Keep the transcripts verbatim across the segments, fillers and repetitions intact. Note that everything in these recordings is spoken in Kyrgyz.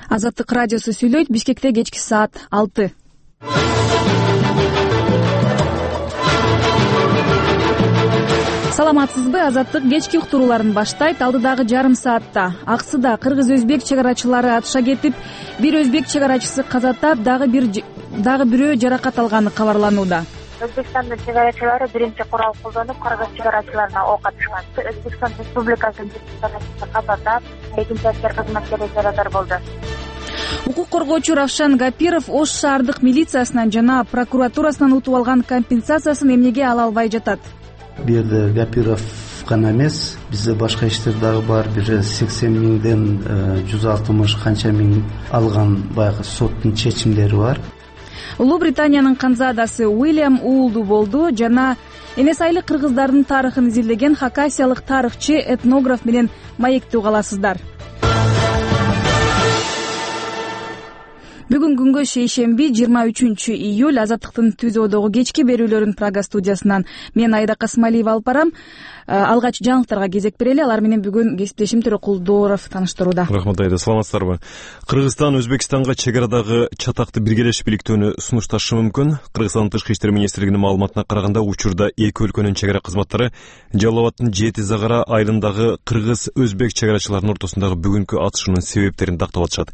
Азаттык радиосу сүйлөйт. Бишкекте кечки саат алты. Саламатсызбы? Азаттык кечки уктурууларын баштайт. Алдыдагы жарым саатта Аксыда кыргыз-өзбек чек арачылары атыша кетип, бир өзбек чек арачысы каза тап, дагы бир дагы бирөө жаракат алганы кабарланууда. Өзбекстандын чек арачылары биринчи курал колдонуп, кыргыз чек арачыларына ок атышкан. Өзбекстан Республикасынын чек арачысы каза тап, экинчи аскер кызматкери жарадар болду. Укук коргоочу Равшан Гапиров Ош шаардык милициясынан жана прокуратурасынан утуп алган компенсациясын эмнеге ала албай жатат? Бу жерде Гапиров гана эмес, бизде башка иштер дагы бар. Бир сексен миңден жүз алтымыш канча миң алган баягы соттун чечимдери бар. Улуу Британиянын канзадасы Уильям уулду болду жана энес айлык кыргыздардын тарыхын изилдеген хакасиялык тарыхчы, этнограф менен маектүү каласыздар. Бүгүн күнгө шейшемби жыйырма үчүнчү июль. Азаттыктын түзөөдөгү кечки берүүлөрүн Прага студиясынан мен Айда Касмалиева алып барам. Алгач жаңылыктарга кезек берели. Алар менен бүгүн кесиптешим Төрөкулдооров таныштырууда. Рахмат Айда, саламатсыздарбы? Кыргызстан Өзбекстанга чек арадагы чатакты биргелешип бийликтөөнү сунушташы мүмкүн. Кыргызстандын Тышкы иштер министрлигинин маалыматына караганда, учурда эки өлкөнүн чек ара кызматтары Жалал Абадтын Жети Загара айылындагы кыргыз-өзбек чек арачыларынын ортосундагы бүгүнкү атышуунун себептерин тактап атышат.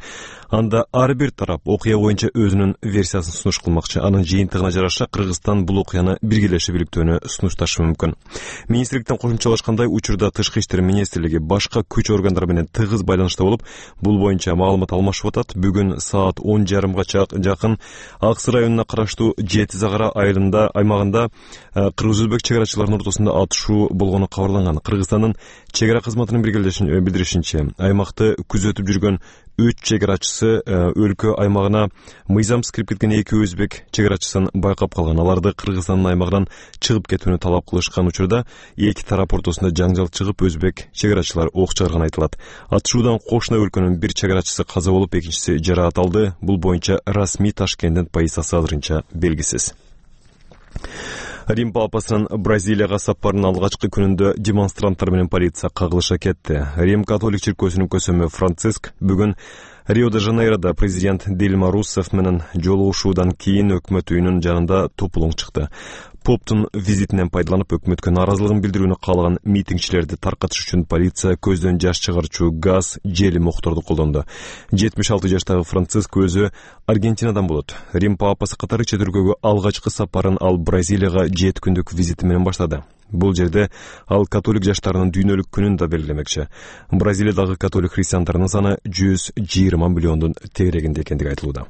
Анда ар бир тарап окуя боюнча өзүнүн версиясын сунуш кылмакчы. Анын жыйынтыгына жараша Кыргызстан бул окуяны биргелешип бийликтөөнү сунушташы мүмкүн. Министрликтен кошумчалашкандай, учурда Тышкы иштер министрлиги башка күч органдары менен тыгыз байланышта болуп, бул боюнча маалымат алмашып атат. Бүгүн саат он жарымга жакын Аксы районуна караштуу Жети Загара айылында аймагында кыргыз-өзбек чек арачыларынын ортосунда атышуу болгону кабарланган. Кыргызстандын чек ара кызматынын билдиришинче, аймакты күзөтүп жүргөн үч чек арачысы өлкө аймагына мыйзамсыз кирип кеткен эки өзбек чек арачысын байкап калган. Аларды Кыргызстандын аймагынан чыгып кетүүнү талап кылышкан учурда эки тарап ортосунда жаңжал чыгып, өзбек чек арачылар ок чыгарганы айтылат. Атышуудан кошуна өлкөнүн бир чек арачысы каза болуп, экинчиси жаракат алды. Бул боюнча расмий Ташкенттин полициясы азырынча белгисиз. Рим папасынын Бразилияга сапарынын алгачкы күнүндө демонстранттар менен полиция кагылыша кетти. Рим католик чиркөөсүнүн көсөмү Франциск бүгүн Рио-де-Жанейрода президент Дильма Руссефф менен жолугушуудан кийин өкмөт үйүнүн жанында топулуң чыкты. Поптун визитинен пайдаланып, өкмөткө нааразылыгын билдирүүнү каалаган митингчилерди таркатыш үчүн полиция көздөн жаш чыгарчу газ, жели мокторду колдонду. жетимиш алты жаштагы Франциск өзү Аргентинадан болот. Рим папасы катары чет өлкөгө алгачкы сапарын ал Бразилияга жети күндүк визити менен баштады. Бул жерде ал католик жаштарынын дүйнөлүк күнүн да белгилемекчи. Бразилиядагы католик христиандарынын саны жүз жыйырма миллиондун тегерегинде экендиги айтылууда.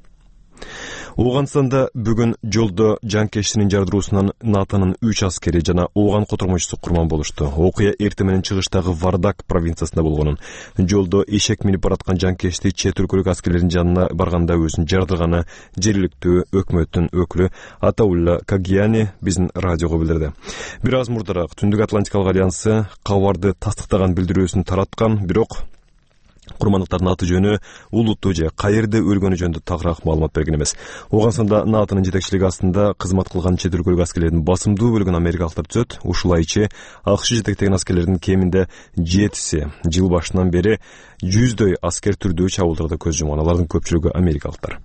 Ооганстанда бүгүн жолдо жанкештинин жардыруусунан НАТОнун үч аскери жана ооган котормочусу курман болушту. Окуя эртең менен чыгыштагы Вардак провинциясында болгонун. Жолдо эшек минип бараткан жанкешти чет өлкөлүк аскерлердин жанына барганда өзүн жардырганы жергиликтүү өкмөттүн өкүлү Атаулла Кагияни биздин радиого билдирди. Бир аз мурдараак Түндүк Атлантикалык альянсы кабарды тастыктаган билдирүүсүн тараткан, бирок курмандыктардын аты жөнү, улутту же каерде өлгөнү жөнүндө тагыраак маалымат берген эмес. Ооганстанда НАТОнун жетекчилиги астында кызмат кылган чет өлкөлүк аскерлердин басымдуу бөлүгүн америкалыктар түзөт. Ушулайчы АКШ жетектеген аскерлердин кеминде жетиси жыл башынан бери жүздөй аскер түрдүү чабуулдарда көз жумган. Алардын көпчүлүгү америкалыктар.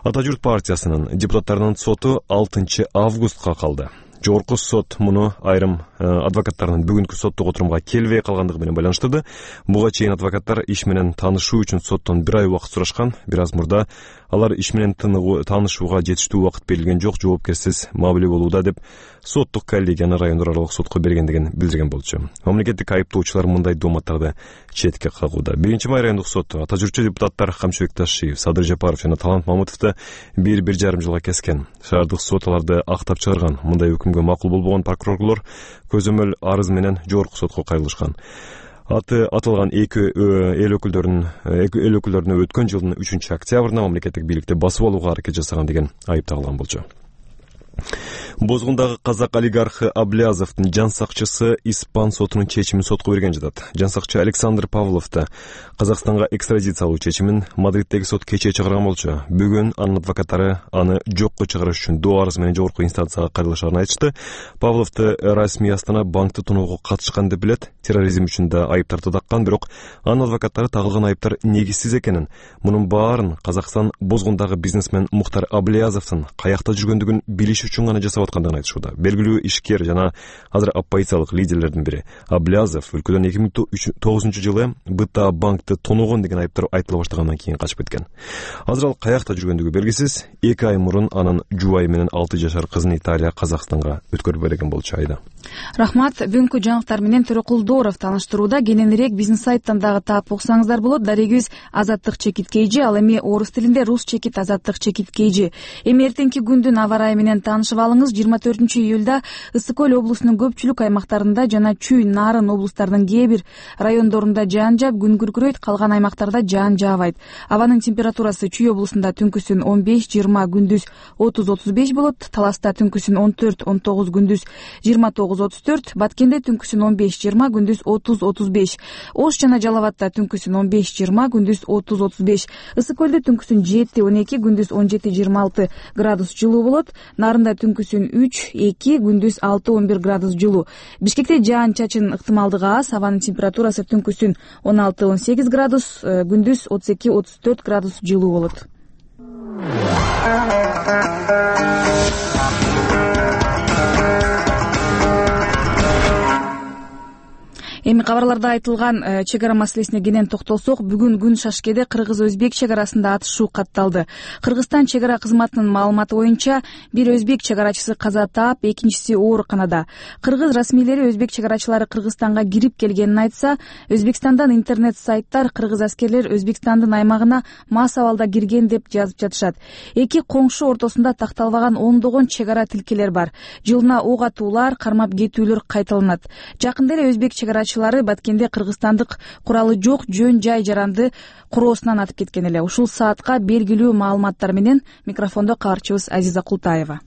Ата журт партиясынын депутаттарынын соту алтынчы августка калды. Жогорку сот муну айрым адвокаттарынын бүгүнкү соттук отурумга келбей калгандыгы менен байланыштырды. Буга чейин адвокаттар иш менен таанышуу үчүн соттон бир ай убакыт сурашкан. Бир аз мурда алар иш менен таанышууга жетиштүү убакыт берилген жок, жоопкерсиз мамиле болууда деп соттук коллегияны райондор аралык сотко бергендигин билдирген болчу. Мамлекеттик айыптоочулар мындай дооматтарды четке кагууда. Биринчи май райондук соту ата журтчу депутаттар Камчыбек Ташиев, Садыр Жапаров жана Талант Мамытовду бир бир жарым жылга кескен. Шаардык сот аларды актап чыгарган. Мындай өкүмгө макул болбогон прокурорлор көзөмөл арыз менен жогорку сотко кайрылышкан. Аты аталган эки эл өкүлдөрүнүн эл өкүлдөрүнө өткөн жылдын үчүнчү октябрында мамлекеттик бийликти басып алууга аракет жасаган деген айып тагылган болчу. Бозгундагы казак олигархы Аблязовдун жан сакчысы испан сотунун чечимин сотко берген жатат. Жан сакчы Александр Павлов да Казакстанга экстрадициялоо чечимин Мадриттеги сот кечээ чыгарган болчу. Бүгүн анын адвокаттары аны жокко чыгарыш үчүн доо арыз менен жогорку инстанцияга кайрылышарын айтышты. Павловду расмий Астана банкты тоноого катышкан деп билет. Терроризм үчүн да айыптарды таккан, бирок анын адвокаттары тагылган айыптар негизсиз экенин, мунун баарын Казакстан Бозгундагы бизнесмен Мухтар Аблязовдун каякта жүргөндүгүн билиш үчүн гана жасап аткандыгын айтышууда. Белгилүү ишкер жана азыр оппозициялык лидерлердин бири Аблязов өлкөдөн эки миң тогузунчу жылы БТА банкты тоногон деген айыптар айтыла баштагандан кийин качып кеткен. Азыр ал каякта жүргөндүгү белгисиз. эки ай мурун анын жубайы менен алты жашар кызын Италия Казакстанга өткөрүп берген болчу. Айда. Рахмат. Бүгүнкү жаңылыктар менен Төрөкулдоров тааныштырууда. Кененирээк бизнес сайттан дагы таап окусаңыздар болот. Дарегибиз Азаттык чекит кейжи, ал эми орус тилинде Рус чекит Азаттык чекит кейжи. Эми эртеңки күндүн аба ырайы менен таанышып алыңыз. жыйырма төртүнчү июлда Ысык көл облусунун көпчүлүк аймактарында жана Чүй, Нарын облустарынын кээ бир райондорунда жаан жаап, күн күркүрөйт, калган аймактарда жаан жаабайт. Абанын температурасы Чүй облусунда түнкүсүн он беш жыйырма, күндүз отуз отуз беш болот. Таласта түнкүсүн он төрт он тогуз, күндүз жыйырма тогуз отуз төрт. Баткенде түнкүсүн он беш жыйырма, күндүз отуз отуз беш. Ош жана Жалал абадта түнкүсүн он беш жыйырма, күндүз отуз отуз беш. Ысык көлдө түнкүсүн жети он эки, күндүз он жети жыйырма алты градус жылуу болот. Нарында түнкүсүн үч эки, күндүз алты он бир градус жылуу. Бишкекте жаан чачын ыктымалдыгы аз. Абанын температурасы түнкүсүн он алты он сегиз градус, күндүз отуз эки отуз төрт градус жылуу болот. Эми кабарларда айтылган чек ара маселесине кенен токтолсок, бүгүн күн Шашкеде кыргыз-өзбек чек арасында атышуу катталды. Кыргызстан чек ара кызматынын маалыматы боюнча бир өзбек чек арачысы каза таап, экинчиси ооруканада. Кыргыз расмийлери өзбек чек арачылары Кыргызстанга кирип келгенин айтса, Өзбекстандан интернет сайттар кыргыз аскерлер Өзбекстандын аймагына мас абалда кирген деп жазып жатышат. Эки коңшу ортосунда такталбаган ондогон чек ара тилкелер бар. Жылына ок атуулар, кармап кетүүлөр кайталанат. Жакында эле өзбек чек арачылары Баткенде кыргызстандык куралы жок жөн жай жаранды куроосунан атып кеткен эле. Ушул саатка белгилүү маалыматтар менен микрофондо кабарчыбыз Азиза Култаева.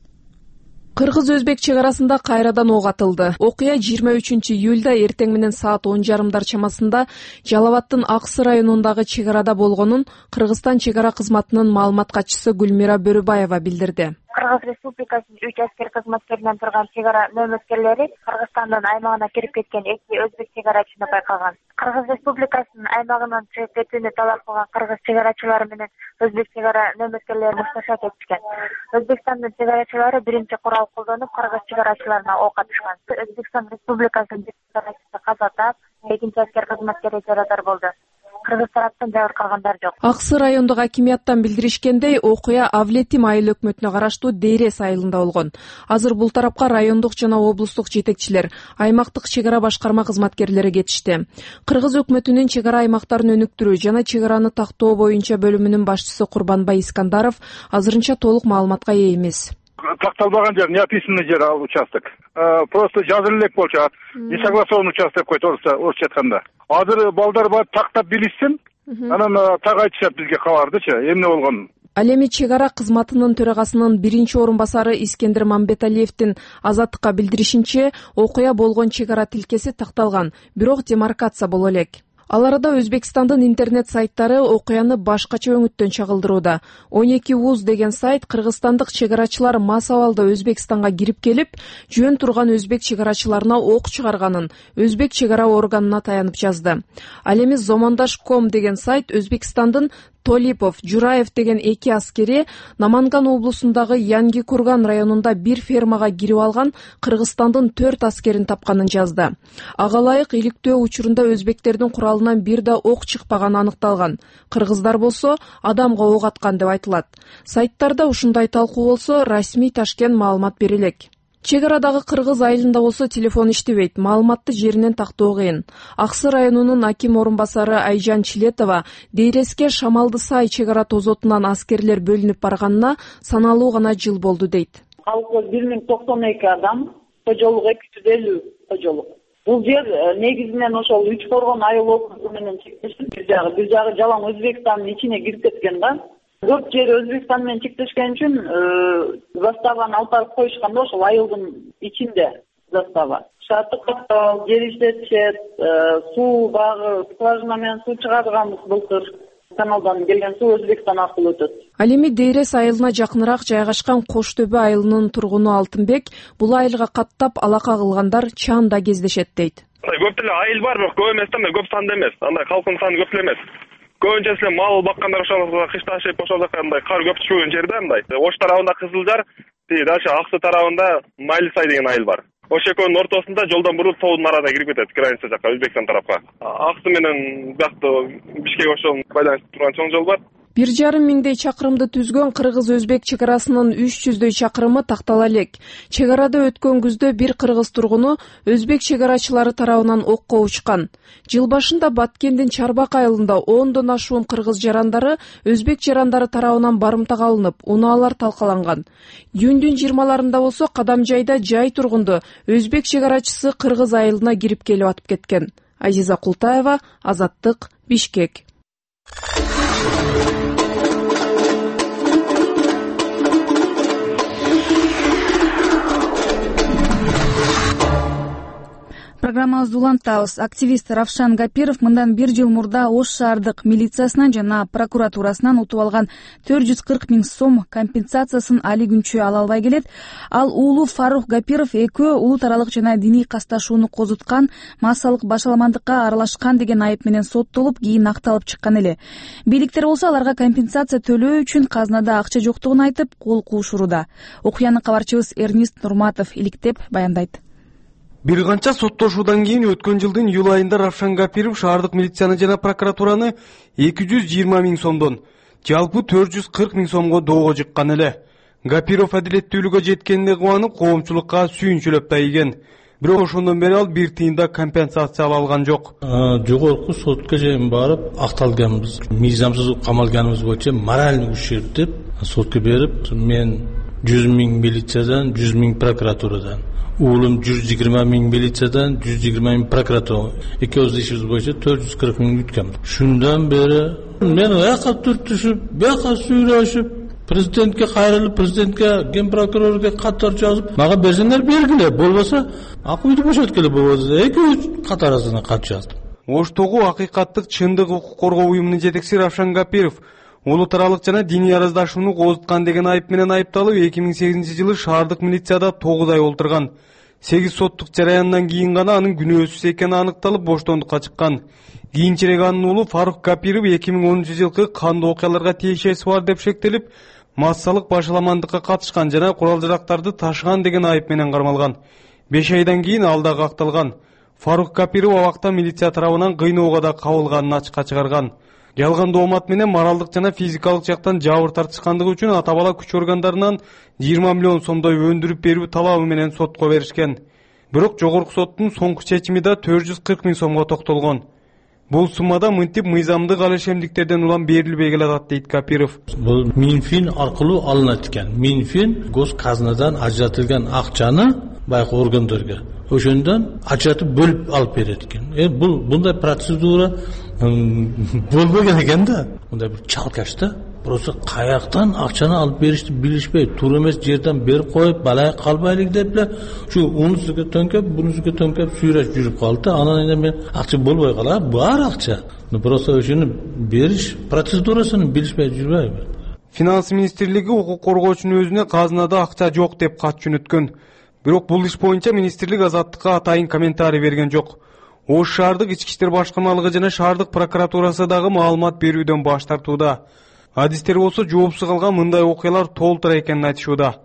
Кыргыз-өзбек чек арасында кайрадан ок атылды. Окуя жыйырма үчүнчү июлда эртең менен саат он жарымдар чамасында Жалал абадтын Аксы районундагы чек арада болгонун Кыргызстан чек ара кызматынын маалымат катчысы Гүлмира Бөрүбаева билдирди. Кыргыз Республикасынын үч аскер кызматкеринен турган чек ара нөөмөткерлери Кыргызстандын аймагына кирип кеткен эки өзбек чек арачыны байкаган. Кыргыз Республикасынын аймагынан чыгып кетүүнү талап кылган кыргыз чек арачылары менен өзбек чек ара нөөмөткерлери мушташа кетишкен. Өзбекстандын чек арачылары биринчи курал колдонуп кыргыз чек арачыларына ок атышкан. Өзбекстан Республикасынын чек арачысы каза таап, экинчи аскер кызматкери жарадар болду. Кыргыз тараптан жабыркагандар жок. Аксы райондук акимияттан билдиришкендей, окуя Авлетим айыл өкмөтүнө караштуу Дейрес айылында болгон. Азыр бул тарапка райондук жана облустук жетекчилер, аймактык чек ара башкарма кызматкерлери кетишти. Кыргыз өкмөтүнүн чек ара аймактарын өнүктүрүү жана чек араны тактоо боюнча бөлүмүнүн башчысы Курбанбай Искандаров азырынча толук маалыматка ээ эмес. Такталбаган жер, не описанный жер ал участок. Просто жазылып элек болчу. Не согласован участок койт орусча айтканда. Азыр балдар бар тактап билишсин, анан так айтышат бизге кабардычы, эмне болгонун. Ал эми чек ара кызматынын төрагасынын биринчи орун басары Искендер Мамбеталиевдин Азаттыкка билдиришинче, окуя болгон чек ара тилкеси такталган, бирок демаркация боло элек. Ал арада Өзбекстандын интернет сайттары окуяны башкача өңүттөн чагылдырууда. он эки вуз деген сайт кыргызстандык чек арачылар мас абалда Өзбекстанга кирип келип, жөн турган өзбек чек арачыларына ок чыгарганын өзбек чек ара органына таянып жазды. Ал эми Зомондаш точка ком деген сайт Өзбекстандын Толипов, Жураев деген эки аскери Наманган облусундагы Янги Курган районунда бир фермага кирип алган Кыргызстандын төрт аскерин тапканын жазды. Ага ылайык иликтөө учурунда өзбектердин куралынан бир да ок чыкпаганы аныкталган. Кыргыздар болсо адамга ок аткан деп айтылат. Сайттарда ушундай талкуу болсо, расмий Ташкент маалымат бере элек. Чек арадагы кыргыз айылында болсо телефон иштебейт, маалыматты жеринен тактоо кыйын. Аксы районунун аким орун басары Айжан Чилетова Дейреске Шамалды сай чек ара тозотунан аскерлер бөлүнүп барганына саналуу гана жыл болду дейт. Калкы бир миң токсон эки адам, кожолук эки жүз элүү кожолук. Бул жер негизинен ошол үч коргон айыл округу менен чектешип, бир жагы бир жагы жалаң Өзбекстандын ичине кирип кеткен да. Көп жер Өзбекстан менен чектешкен үчүн заставаны алып барып коюшкан да, ошол айылдын ичинде застава. Шарттык каттал, жер иштетишет, суу багы, скважина менен суу чыгарганбыз былтыр. Каналдан келген суу Өзбекстан аркылуу өтөт. Ал эми Дейрес айылына жакыныраак жайгашкан Кош Төбө айылынын тургуну Алтынбек бул айылга каттап алака кылгандар чаанда кездешет дейт. Көп деле айыл бар, бирок көп эмес да, көп санда эмес. Андай калкын саны көп эле эмес. Көбүнчөсү эле мал баккандар ошол кыш ташып ошол жака андай кар көп түшпөгөн жерде андай. Ош тарабында Кызылжар, дальше Аксы тарабында Майлысай деген айыл бар. Ошол экөөнүн ортосунда жолдон буруп тоодун арасына кирип кетет, граница жака, Өзбекстан тарапка. Аксы менен биякты Бишкек ошол байланыштуу турган чоң жол бар. Бир жарым миңдей чакырымды түзгөн кыргыз-өзбек чек арасынын үч жүздөй чакырымы тактала элек. Чек арада өткөн күздө бир кыргыз тургуну өзбек чек арачылары тарабынан окко учкан. Жыл башында Баткендин Чарбак айылында ондон ашуун кыргыз жарандары өзбек жарандары тарабынан барымтага алынып, унаалар талкаланган. Июндүн жыйырмаларында болсо Кадамжайда жай тургунду өзбек чек арачысы кыргыз айылына кирип келип атып кеткен. Азиза Култаева, Азаттык, Бишкек. Программабызды улантабыз. Активист Равшан Гапиров мындан бир жыл мурда Ош шаардык милициясынан жана прокуратурасынан утуп алган төрт жүз кырк миң сом компенсациясын али күнчө ала албай келет. Ал уулу Фарух Гапиров экөө улут аралык жана диний касташууну козуткан, массалык башаламандыкка аралашкан деген айып менен соттолуп, кийин акталып чыккан эле. Бийликтер болсо аларга компенсация төлөө үчүн казнада акча жоктугун айтып, кол куушууда. Окуяны кабарчыбыз Эрнист Нурматов иликтеп баяндайт. Бир канча соттошуудан кийин өткөн жылдын июль айында Равшан Гапиров шаардык милицияны жана прокуратураны эки жүз жыйырма миң сомдон жалпы төрт жүз кырк миң сомго доого жыккан эле. Гапиров адилеттүүлүккө жеткенине кубанып, коомчулукка сүйүнчүлөп да ийген. Бирок ошондон бери ал бир тыйын да компенсация ала алган жок. Жогорку сотко чейин барып акталганбыз. Мыйзамсыз камалганыбыз боюнча моральный ущерб деп сотко берип, мен жүз миң милициядан, жүз миң прокуратурадан, уулум жүз жыйырма миң милициядан, жүз жыйырма миң прокуратура. Экөөбүз ишибиз боюнча төрт жүз кырк миң үткөн. Шундан бери мен аяка түртүшүп, бияка сүйлөшүп, президентке кайрылып, президентке, ген прокурорго каттар жазып, мага берсеңер бергиле, болбосо акыбызды бошоткеле болбосо экөөбүз кат арасына кат жаздым. Оштогу акыйкаттык чындык укук коргоо уюмунун жетекчиси Равшан Гапиров улут аралык жана диний араздашууну козуткан деген айып менен айыпталып, эки миң сегизинчи жылы шаардык милицияда тогуз ай олтурган. сегиз соттук жараяндан кийин гана анын күнөөсүз экени аныкталып, боштондукка чыккан. Кийинчерээк анын уулу Фарух Гапиров эки миң онунчу жылкы кандуу окуяларга тиешеси бар деп шектелип, массалык башаламандыкка катышкан жана курал-жарактарды ташыган деген айып менен кармалган. беш айдан кийин ал дагы акталган. Фарух Гапиров абакта милиция тарабынан кыйноого да кабылганын ачыкка чыгарган. Жалган доомат менен моралдык жана физикалык жактан жабыр тартышкандыгы үчүн ата бала күч органдарынан жыйырма миллион сомдой өндүрүп берүү талабы менен сотко беришкен. Бирок жогорку соттун соңку чечими да төрт жүз кырк миң сомго токтолгон. Бул суммада мынтип мыйзамдык алешемдиктерден улам берилбей келатат дейт Гапиров. Бул Минфин аркылуу алынат экен. Минфин гос казнадан ажыратылган акчаны байкы органдарга ошондон ажыратып бөлүп алып берет экен. Э бул мындай процедура болбогон экен да. Мындай бир чалкаш да. Просто каяктан акчаны алып беришти билишпей, туура эмес жерден берип коюп, балай калбайлык деп эле ушу унусуга төңкөп, бунусуга төңкөп сүйрөшүп жүрүп калды да. Анан эми мен акча болбой калат, бар акча. Но просто ошону бериш процедурасын билишпей жүрбөйбү. Финанс министрлиги укук коргоочунун өзүнө казнада акча жок деп кат жөнөткөн. Бирок бул иш боюнча министрлик Азаттыкка атайын комментарий берген жок. Ош шаардык ички иштер башкармалыгы жана шаардык прокуратурасы дагы маалымат берүүдөн баш тартууда. Адистер болсо жоопсуз калган мындай окуялар толтура экенин айтышууда.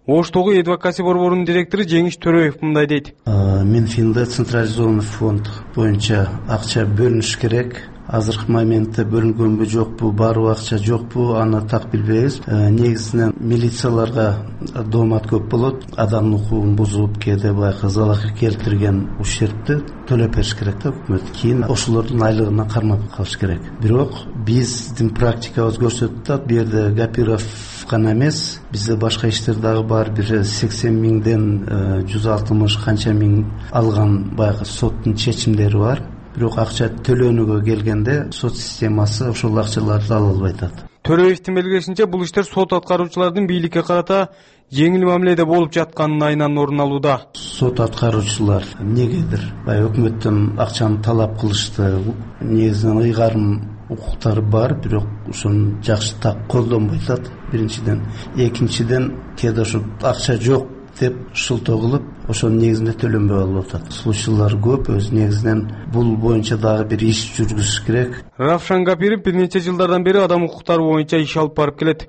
Оштогу адвокасы борборунун директору Жеңиш Төрөев мындай дейт. Минфинде централизованный фонд боюнча акча бөлүнүш керек. Азыркы моментте бөлүнгөнбү жокпу, барбы акча жокпу, аны так билбейбиз. Негизинен милицияларга доомат көп болот. Адамдын укугун бузуп, кээде байкы залал келтирген ущербти төлөп бериш керек да өкмөт. Кийин ошолордун айлыгына кармап калыш керек. Бирок биздин практикабыз көрсөтүп атат, бу жерде Гапиров гана эмес, бизде башка иштер дагы бар. Бир сексен миңден жүз алтымыш канча миң алган байкы соттун чечимдери бар. Бирок акча төлөөнүгө келгенде сот системасы ошол акчаларды ала албай атат. Төрөевдин белгилешинче, бул иштер сот аткаруучулардын бийликке карата жеңил мамиледе болуп жатканын айынан орун алууда. Сот аткаруучулар негедир баягы өкмөттөн акчаны талап кылышты. Негизинен ыйгарым укуктары бар, бирок ошону жакшы так колдонбой атат. Биринчиден, экинчиден кээде ошо акча жок деп шылтоо кылып, ошонун негизинде төлөнбөй алып атат. Случайлар көп, өз негизинен бул боюнча дагы бир иш жүргүзүш керек. Равшан Гапиров бир нече жылдардан бери адам укуктары боюнча иш алып барып келет.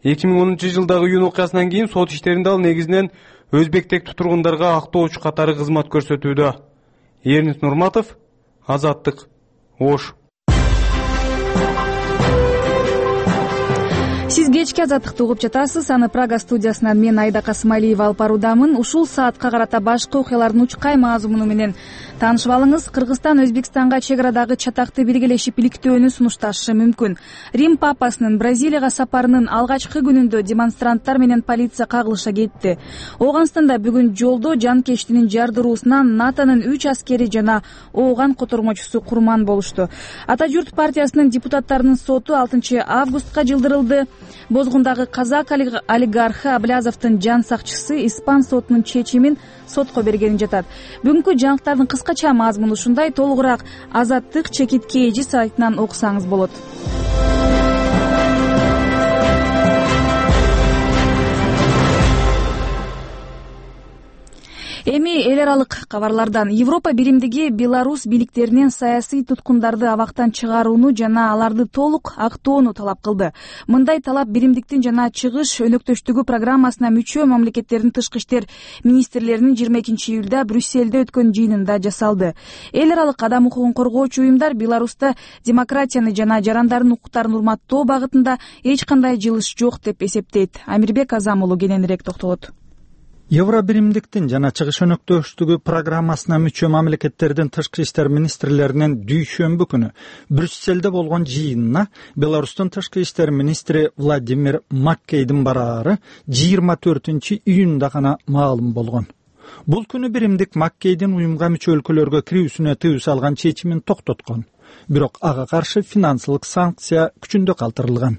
эки миң онунчу жылдагы июнь окуясынан кийин сот иштеринде ал негизинен өзбек тектүү тургундарга актоочу катары кызмат көрсөтүүдө. Эрнис Нурматов, Азаттык, Ош. Сиз кечки Азаттыкты угуп жатасыз. Аны Прага студиясынан мен Айда Касымалиева алып баруудамын. Ушул саатка карата башкы окуялардын учкай мазмуну менен таанышып алыңыз. Кыргызстан Өзбекстанга чек арадагы чатакты белгилешип иликтөөнү сунушташы мүмкүн. Рим папасынын Бразилияга сапарынын алгачкы күнүндө демонстранттар менен полиция кагылыша кетти. Ооганстанда бүгүн жолдо жанкештинин жардыруусунан НАТОнун үч аскери жана ооган котормочусу курман болушту. Ата журт партиясынын депутаттарынын соту алтынчы августка жылдырылды. Бозгундагы казак олигархы Аблязовдун жан сакчысы испан сотунун чечимин сотко бергенин жатат. Бүгүнкү жаңылыктардын кыскача мазмуну ушундай. Толугураак Азаттык чекитке эжи сайтынан окусаңыз болот. Эми эл аралык кабарлардан. Европа биримдиги Беларусь бийликтеринен саясий туткундарды абактан чыгарууну жана аларды толук актоону талап кылды. Мындай талап биримдиктин жана чыгыш өнөктөштүгү программасына мүчө мамлекеттердин тышкы иштер министрлеринин жыйырма экинчи июлда Брюссельде өткөн жыйынында жасалды. Эл аралык адам укугун коргоочу уюмдар Беларуста демократияны жана жарандардын укуктарын урматтоо багытында эч кандай жылыш жок деп эсептейт. Амирбек Азам уулу кененирээк токтолот. Евро биримдиктин жана чыгыш өнөктөштүгү программасына мүчө мамлекеттердин тышкы иштер министрлеринин дүйшөмбү күнү Брюссельде болгон жыйынына Беларустун тышкы иштер министри Владимир Маккейдин бараары жыйырма төртүнчү июнда гана маалым болгон. Бул күнү биримдик Маккейдин уюмга мүчө өлкөлөргө кирүүсүнө тыюу салган чечимин токтоткон. Бирок ага каршы финансылык санкция күчүндө калтырылган.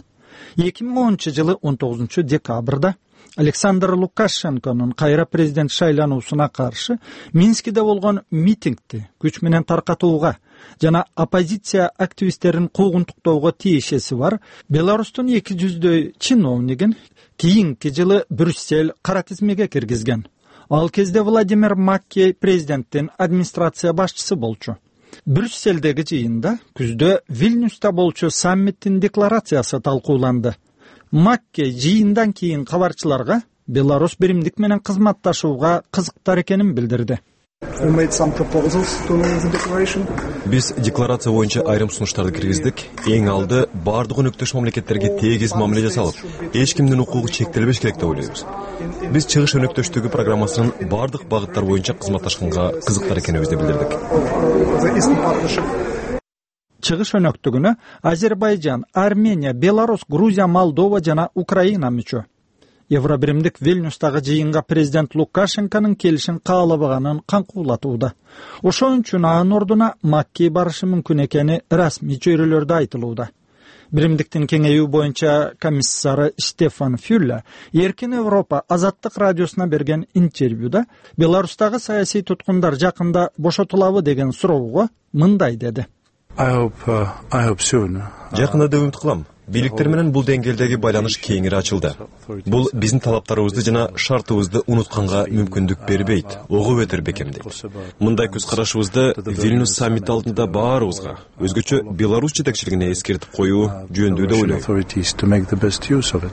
эки миң онунчу жылы он тогузунчу декабрда Александр Лукашенконун кайра президент шайлануусуна каршы Минскиде болгон митингди күч менен таркатууга жана оппозиция активисттерин куугунтуктоого тиешеси бар Беларустун эки жүздөй чиновнигин кийинки жылы Брюссель кара тизмеге киргизген. Ал кезде Владимир Маккей президенттин администрация башчысы болчу. Брюссельдеги жыйында күздө Вильнюста болчу саммиттин декларациясы талкууланды. Маккей жыйындан кийин кабарчыларга Беларусь биримдик менен кызматташууга кызыктар экенин билдирди. Биз декларация боюнча айрым сунуштарды киргиздик. Эң алды бардык өнөктөш мамлекеттерге тегиз мамиле жасалып, эч кимдин укугу чектелбеш керек деп ойлойбуз. Биз чыгыш өнөктөштүгү программасынын бардык багыттар боюнча кызматташканга кызыктар экенибизди билдирдик. Чыгыш өнөктүгүнө Азербайжан, Армения, Беларусь, Грузия, Молдова жана Украина мүчө. Евро биримдик Вильнюстагы жыйынга президент Лукашенконун келишин каалабаганын каңкуулатууда. Ошон үчүн анын ордуна Маккей барышы мүмкүн экени расмий чөйрөлөрдө айтылууда. Биримдиктин кеңейүү боюнча комиссары Стефан Фюлле Эркин Европа Азаттык радиосуна берген интервьюда Беларустагы саясий туткундар жакында бошотулабы деген суроого мындай деди. Жакында деп үмүт кылам. Бийликтер менен бул деңгээлдеги байланыш кеңири ачылды. Бул биздин талаптарыбызды жана шартыбызды унутканга мүмкүндүк бербейт, огуп өтөр бекемдейт. Мындай көз карашыбызды Вильнюс саммити алдында баарыбызга, өзгөчө Беларусь жетекчилигине эскертип коюу жөнүндүү деп ойлойм.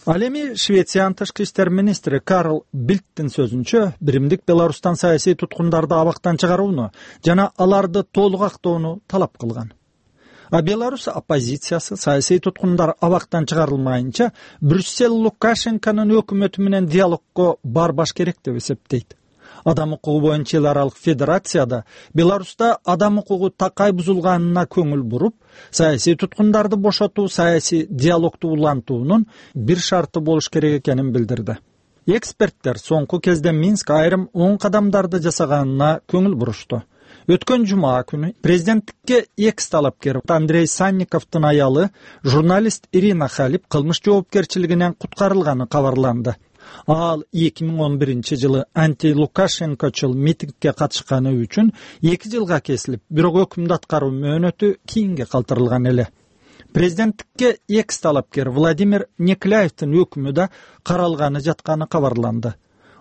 Ал эми Швециянын тышкы иштер министри Карл Бильдтин сөзүнчө, биримдик Беларустан саясий туткундарды абактан чыгарууну жана аларды толук актоону талап кылган. А Беларусь оппозициясы саясий туткундар абактан чыгарылмайынча Брюссель Лукашенконун өкмөтү менен диалогко барбаш керек деп эсептейт. Адам укугу боюнча эл аралык федерацияда Беларуста адам укугу такай бузулганына көңүл буруп, саясий туткундарды бошотуу саясий диалогду улантуунун бир шарты болуш керек экенин билдирди. Эксперттер соңку кезде Минск айрым оң кадамдарды жасаганына көңүл бурушту. Өткөн жума күнү президенттикке экс талапкер Андрей Санниковдун аялы журналист Ирина Халип кылмыш жоопкерчилигинен куткарылганы кабарланды. Ал эки миң он биринчи жылы анти-Лукашенкочул митингге катышканы үчүн эки жылга кесилип, бирок өкүмдү аткаруу мөөнөтү кийинге калтырылган эле. Президенттикке экс талапкер Владимир Некляевдин өкүмү да каралганы жатканы кабарланды.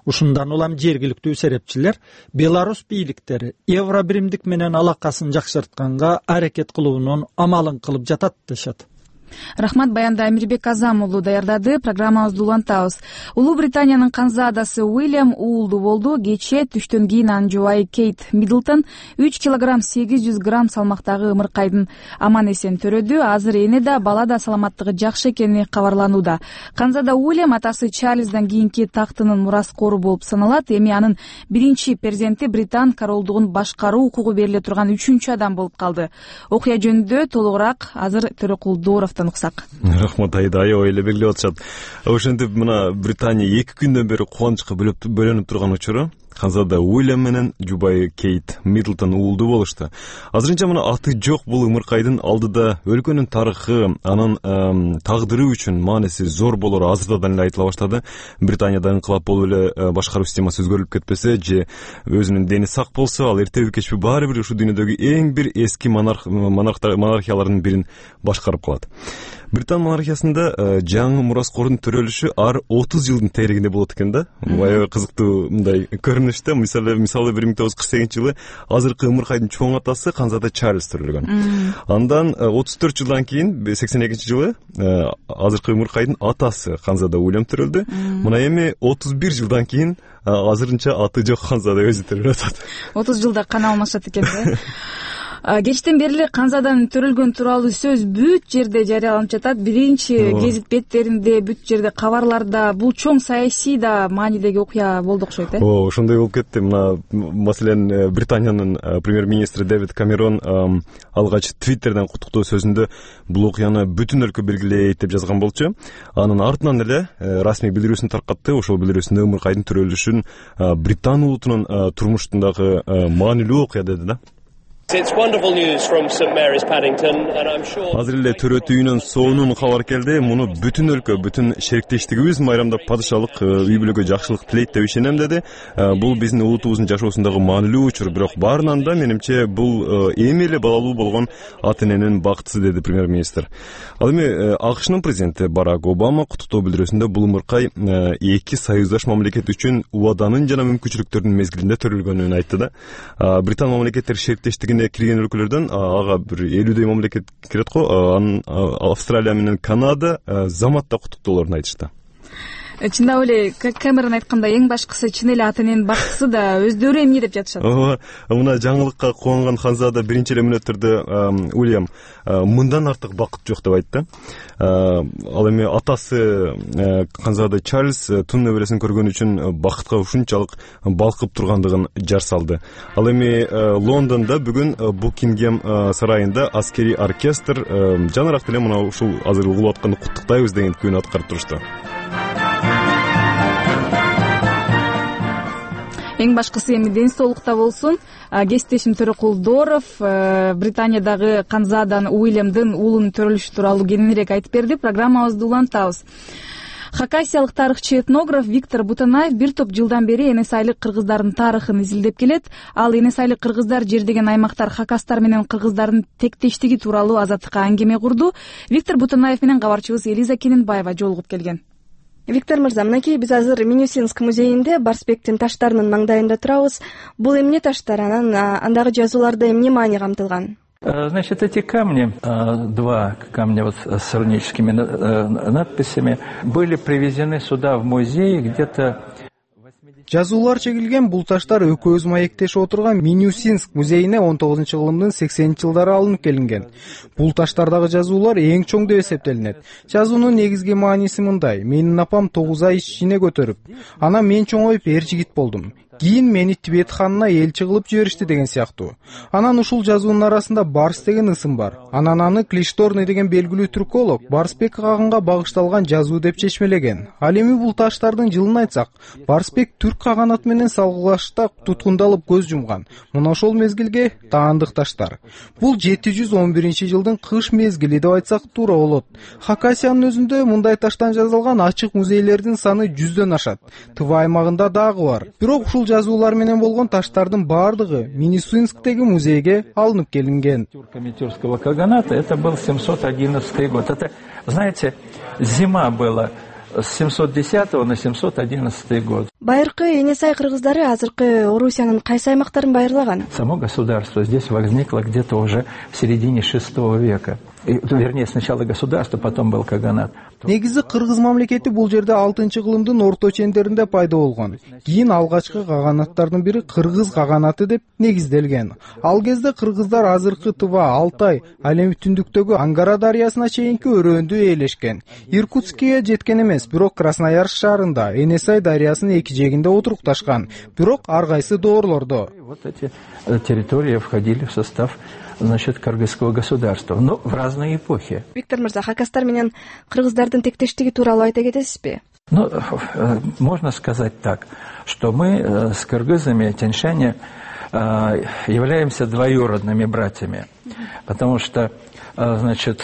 Ушундан улам жергиликтүү серепчилер Беларусь бийликтери евро биримдик менен алакасын жакшыртканга аракет кылуунун амалын кылып жатат дешет. Рахмат, баянды Амирбек Азам уулу даярдады. Программабызды улантабыз. Улуу Британиянын канзаадасы Уильям уулду болду. Кечээ түштөн кийин анын жубайы Кейт Миддлтон үч килограмм сегиз жүз грамм салмактагы ымыркайдын аман эсен төрөдү. Азыр эне да бала да саламаттыгы жакшы экени кабарланууда. Канзада Уильям атасы Чарльздан кийинки тактынын мураскору болуп саналат. Эми анын биринчи перзенти Британ королдугун башкаруу укугу бериле турган үчүнчү адам болуп калды. Окуя жөнүндө толугураак азыр Төрөкулдууров уксак. Рахмат, Айда, аябай эле белгилеп атышат. Ошентип мына Британия эки күндөн бери кубанычка бөлөнүп турган учуру канзада Уильям менен жубайы Кейт Миддлтон уулду болушту. Азырынча мына аты жок бул ымыркайдын алдыда өлкөнүн тарыхы, анын тагдыры үчүн мааниси зор болору азырдан эле айтыла баштады. Британияда инкылап болуп эле башкаруу системасы өзгөрүлүп кетпесе же өзүнүн дени сак болсо, ал эртеби кечпи баары бир ушу дүйнөдөгү эң бир эски монарх монархиялардын бирин башкарып калат. Британ монархиясында жаңы мураскордун төрөлүшү ар отуз жылдын тегерегинде болот экен да. Аябай кызыктуу мындай көрүнүштө. Мисалы, мисалы бир миң тогуз жүз кырк сегизинчи жылы азыркы ымыркайдын чоң атасы канзада Чарльз төрөлгөн. Андан отуз төрт жылдан кийин сексен экинчи жылы азыркы ымыркайдын атасы канзада Уильям төрөлдү. Мына эми отуз бир жылдан кийин азырынча аты жок канзада өзү төрөлүп атат. отуз жылда кана алмашат экен да. Кечтен бери эле канзадан төрөлгөн тууралуу сөз бүт жерде жарыяланып жатат. Биринчи гезит беттеринде, бүт жерде кабарларда. Бул чоң саясий да маанидеги окуя болду окшойт, э? О, ошондой болуп кетти. Мына, маселен, Британиянын премьер-министри Дэвид Камерон алгач Твиттерден куттуктоо сөзүндө бул окуяны бүтүн өлкө белгилейт деп жазган болчу. Анын артынан эле расмий билдирүүсүн таркатты. Ошол билдирүүсүндө ымыркайдын төрөлүшүн Британ улутунун турмушундагы маанилүү окуя деди да. Азыр эле төрөт үйүнөн сонун кабар келди. Муну бүтүн өлкө, бүтүн шериктештигибиз майрамдап падышалык үй бүлөгө жакшылык тилейт деп ишенем деди. Бул биздин улутубуздун жашоосундагы маанилүү учур, бирок баарынан да менимче бул эми эле балалуу болгон ата эненин бактысы деди премьер-министр. Ал эми АКШнын президенти Барак Обама куттуктоо билдирүүсүндө бул ымыркай эки союздаш мамлекет үчүн убаданын жана мүмкүнчүлүктөрдүн мезгилинде төрөлгөнүн айтты да. Британ мамлекеттер шериктештигине кирген өлкөлөрдөн ага бир элүүдөй мамлекет кирет го. Анын Австралия менен Канада заматта куттуктоолорун айтышты. Чындап эле Кэмерон айткандай эң башкысы чын эле ата эненин бактысы да өздөрү эмне деп жатышат. Ооба, мына жаңылыкка кубанган ханзада биринчи эле мүнөттөрдө Уильям мындан артык бакыт жок деп айтты. Ал эми атасы канзада Чарльз тун небересин көргөн үчүн бакытка ушунчалык балкып тургандыгын жар салды. Ал эми Лондондо бүгүн Букингем сарайында аскерий оркестр жанараак деле мына ушул азыр угулуп аткан куттуктайбыз деген күн аткарып турушту. Эң башкысы эми ден соолукта болсун. Кесиптешим Төрөкулдууров Британиядагы канзадан Уильямдын уулунун төрөлүшү тууралуу кеңирээк айтып берди. Программабызды улантабыз. Хакасиялык тарыхчы этнограф Виктор Бутанаев бир топ жылдан бери эне сайлык кыргыздардын тарыхын изилдеп келет. Ал эне сайлык кыргыздар жер деген аймактар хакастар менен кыргыздардын тектештиги тууралуу азаттыкка аңгеме курду. Виктор Бутанаев менен кабарчыбыз Элиза Кененбаева жолугуп келген. Виктор мырза, мынакей биз азыр Минусинск музейинде Барсбектин таштарынын маңдайында турабыз. Бул эмне таштар, анан андагы жазууларда эмне маани камтылган? Значит, эти камни, два камня вот с руническими надписями, были привезены сюда в музей где-то... Жазуулар чегилген бул таштар экөөбүз маектешип отурган Минусинск музейине он тогузунчу кылымдын сексенинчи жылдары алынып келинген. Бул таштардагы жазуулар эң чоң деп эсептелинет. Жазуунун негизги мааниси мындай: менин апам тогуз ай ишине көтөрүп, анан мен чоңоюп эр жигит болдум. кийин мени Тибет ханына элчи кылып жиберишти деген сыяктуу. Анан ушул жазуунун арасында Барс деген ысым бар. Анан аны Клишторный деген белгилүү түрколог Барсбек кагынга багышталган жазуу деп чечмелеген. Ал эми бул таштардын жылын айтсак, Барсбек түрк каганаты менен салгылашта туткундалып көз жумган. Мына ошол мезгилге таандык таштар. Бул жети жүз он биринчи жылдын кыш мезгили деп айтсак туура болот. Хакасиянын өзүндө мындай таштан жасалган ачык музейлердин саны жүздөн ашат. Тыва аймагында дагы бар. Бирок ушул жазуулар менен болгон таштардын баардыгы Минусинсктеги музейге алынып келинген. Тюркского каганата это был семьсот одиннадцатый год. Это, знаете, зима была с семьсот десятого на семьсот одиннадцатый год. Байыркы Энесай кыргыздары азыркы Орусиянын кайсы аймактарын байырлаган? Само государство здесь возникло где-то уже в середине шестого века. И, вернее, сначала государство, потом был каганат. Негизи кыргыз мамлекети бул жерде алтынчы кылымдын орто чендеринде пайда болгон. Кийин алгачкы каганаттардын бири кыргыз каганаты деп негизделген. Ал кезде кыргыздар азыркы Тыва, Алтай, ал эми түндүктөгү Ангара дарыясына чейинки өрөөндү ээлешкен. Иркутскке жеткен эмес, бирок Красноярск шаарында Энесай дарыясынын эки жээгинде отурукташкан. Бирок ар кайсы доорлордо. Вот эти территории входили в состав, значит, кыргызского государства, но в разные эпохи. Виктор мырза, хакастар менен кыргыздардын тектештиги тууралуу айта кетесизби? Ну, можно сказать так, что мы с кыргызами, тяньшане, являемся двоюродными братьями, потому что, значит,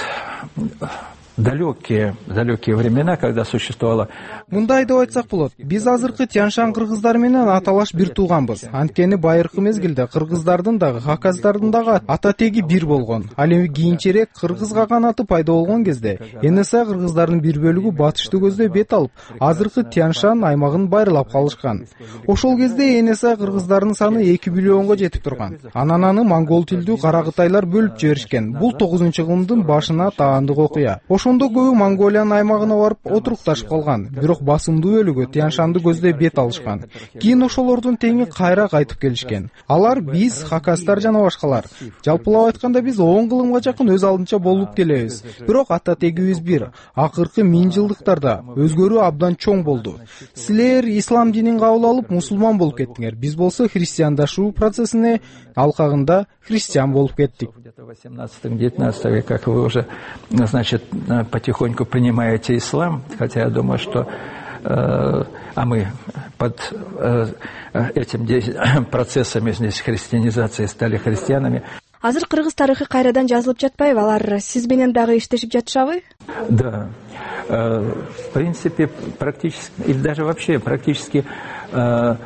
далекие, далекие времена, когда существовало. Мындай деп айтсак болот. Биз азыркы Тяньшан кыргыздары менен аталаш бир тууганбыз. Анткени байыркы мезгилде кыргыздардын дагы, хакастардын дагы ата теги бир болгон. Ал эми кийинчерээк кыргыз каганаты пайда болгон кезде Энесай кыргыздарынын бир бөлүгү батышты көздөй бет алып, азыркы Тяньшан аймагын байырлап калышкан. Ошол кезде Энесай кыргыздарынын саны эки миллионго жетип турган. Анан аны монгол тилдүү каракытайлар бөлүп жиберишкен. Бул тогузунчу кылымдын башына таандык окуя. Ошондо көбү Монголиянын аймагына барып отурукташып калган. Бирок басымдуу бөлүгү Тяньшанды көздөй бет алышкан. Кийин ошолордун теңи кайра кайтып келишкен. Алар биз, хакастар жана башкалар. Жалпылап айтканда биз он кылымга жакын өз алдынча болуп келебиз. Бирок ата тегибиз бир. Акыркы миң жылдыктарда өзгөрүү абдан чоң болду. Силер ислам динин кабыл алып мусулман болуп кеттиңер. Биз болсо христиандашуу процессине алкагында христиан болуп кеттик. В восемнадцатом-девятнадцатом веке, как вы уже, значит, потихоньку принимаете ислам, хотя я думаю, что э, а мы под э, этим процессами здесь христианизации стали христианами. Азыр кыргыз тарыхы кайрадан жазылып жатпайбы? Алар сиз менен дагы иштешип жатышабы? Да. Э, в принципе, практически, или даже вообще практически, э,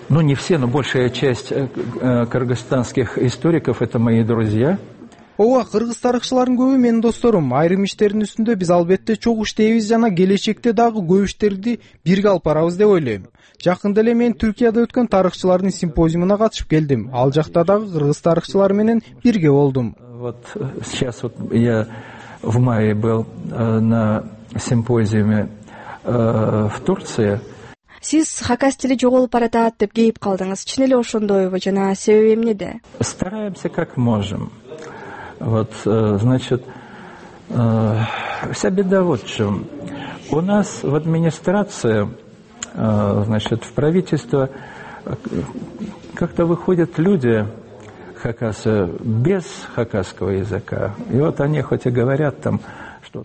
ну не все, но большая часть э, кыргызстанских историков — это мои друзья. Ооба, кыргыз тарыхчылардын көбү менин досторум. Айрым иштердин үстүндө биз албетте чогуу иштейбиз жана келечекте дагы көп иштерди бирге алып барабыз деп ойлойм. Жакында эле мен Түркияда өткөн тарыхчылардын симпозиумуна катышып келдим. Ал жакта дагы кыргыз тарыхчылары менен бирге болдум. Вот сейчас вот я в мае был на симпозиуме в Турции. Сиз хакас тили жоголуп баратат деп кейип калдыңыз. Чын эле ошондойбу жана себеби эмнеде? Стараемся как можем. Вот, значит, вся беда вот в чем. У нас в администрации, значит, в правительство как-то выходят люди хакасы без хакасского языка. И вот они хоть и говорят там.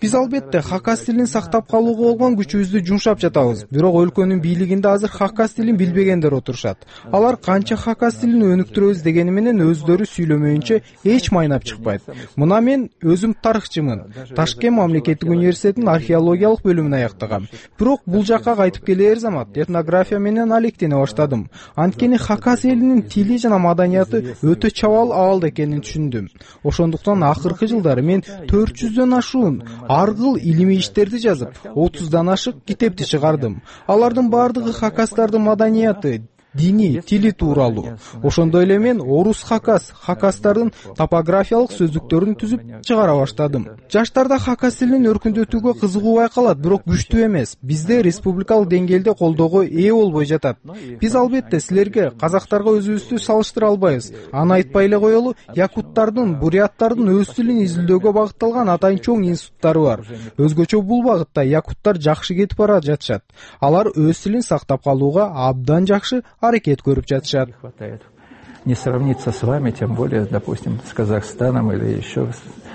Биз албетте хакас тилин сактап калууга болгон күчүбүздү жумшап жатабыз. Бирок өлкөнүн бийлигинде азыр хакас тилин билбегендер отурушат. Алар канча хакас тилин өнүктүрөбүз дегени менен өздөрү сүйлөмөйүнчө эч майнап чыкпайт. Мына мен өзүм тарыхчымын. Ташкент мамлекеттик университетинин археологиялык бөлүмүн аяктагам. Бирок бул жакка кайтып келер замат этнография менен алектене баштадым. Анткени хакас элинин тили жана маданияты өтө чабал абалда экенин түшүндүм. Ошондуктан акыркы жылдары мен төрт жүздөн ашуун аргыл илимий иштерди жазып, отуздан ашык китепти чыгардым. Алардын бардыгы хакастардын маданияты, дини, тили тууралуу. Ошондой эле мен орус хакас, хакастардын топографиялык сөздүктөрүн түзүп чыгара баштадым. Жаштарда хакас тилин өркүндөтүүгө кызыгуу байкалат, бирок күчтүү эмес. Бизде республикалык деңгээлде колдоого ээ болбой жатат. Биз албетте силерге, казактарга өзүбүздү салыштыра албайбыз. Аны айтпай эле коелу, якуттардын, буряттардын өз тилин изилдөөгө багытталган атайын чоң институттары бар. Өзгөчө бул багытта якуттар жакшы кетип бара жатышат. Алар өз тилин сактап калууга абдан жакшы аракет көрүп жатышат. Не сравнится с вами, тем более, допустим, с Казахстаном или еще,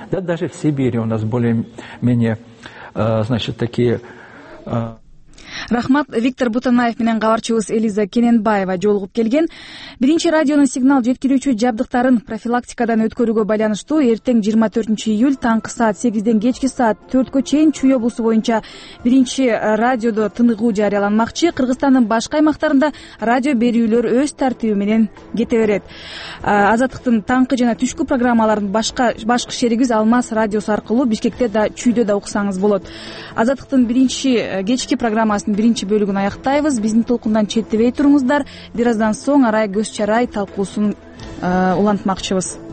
да даже в Сибири у нас более-менее, значит, такие... Рахмат. Виктор Бутанаев менен кабарчыбыз Элиза Кененбаева жолугуп келген. Биринчи радионун сигнал жеткирүүчү жабдыктарын профилактикадан өткөрүүгө байланыштуу эртең жыйырма төртүнчү июль таңкы саат сегизден кечки саат төрткө чейин Чүй облусу боюнча биринчи радиодо тыныгуу жарыяланмакчы. Кыргызстандын башка аймактарында радио берүүлөр өз тартиби менен кете берет. Азаттыктын таңкы жана түшкү программаларын башка башкы шеригибиз Алмаз радиосу аркылуу Бишкекте да, Чүйдө да уксаңыз болот. Азаттыктын биринчи кечки программасын биринчи бөлүгүн аяктайбыз. Биздин толкундан четтебей туруңуздар. Бир аздан соң арай көз чарай талкуусун улантмакчыбыз.